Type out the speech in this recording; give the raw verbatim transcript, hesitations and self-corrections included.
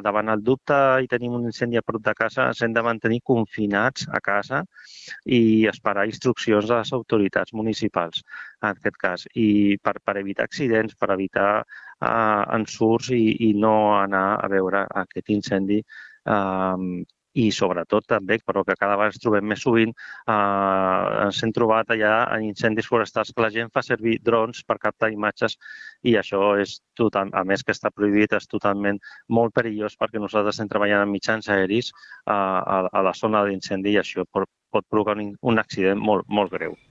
davant el dubte i tenim un incendi a prop de casa, ens hem de mantenir confinats a casa i esperar instruccions de les autoritats municipals, en aquest cas, i per, per evitar accidents, per evitar uh, ensurts i, i no anar a veure aquest incendi uh, i sobretot també, però que cada vegada ens trobem més sovint, eh, ens hem trobat allà en incendis forestals que la gent fa servir drons per captar imatges i això és total, a més que està prohibit, és totalment molt perillós perquè nosaltres estem treballant amb mitjans aeris eh, a, a la zona d'incendi i això pot, pot provocar un, un accident molt, molt greu.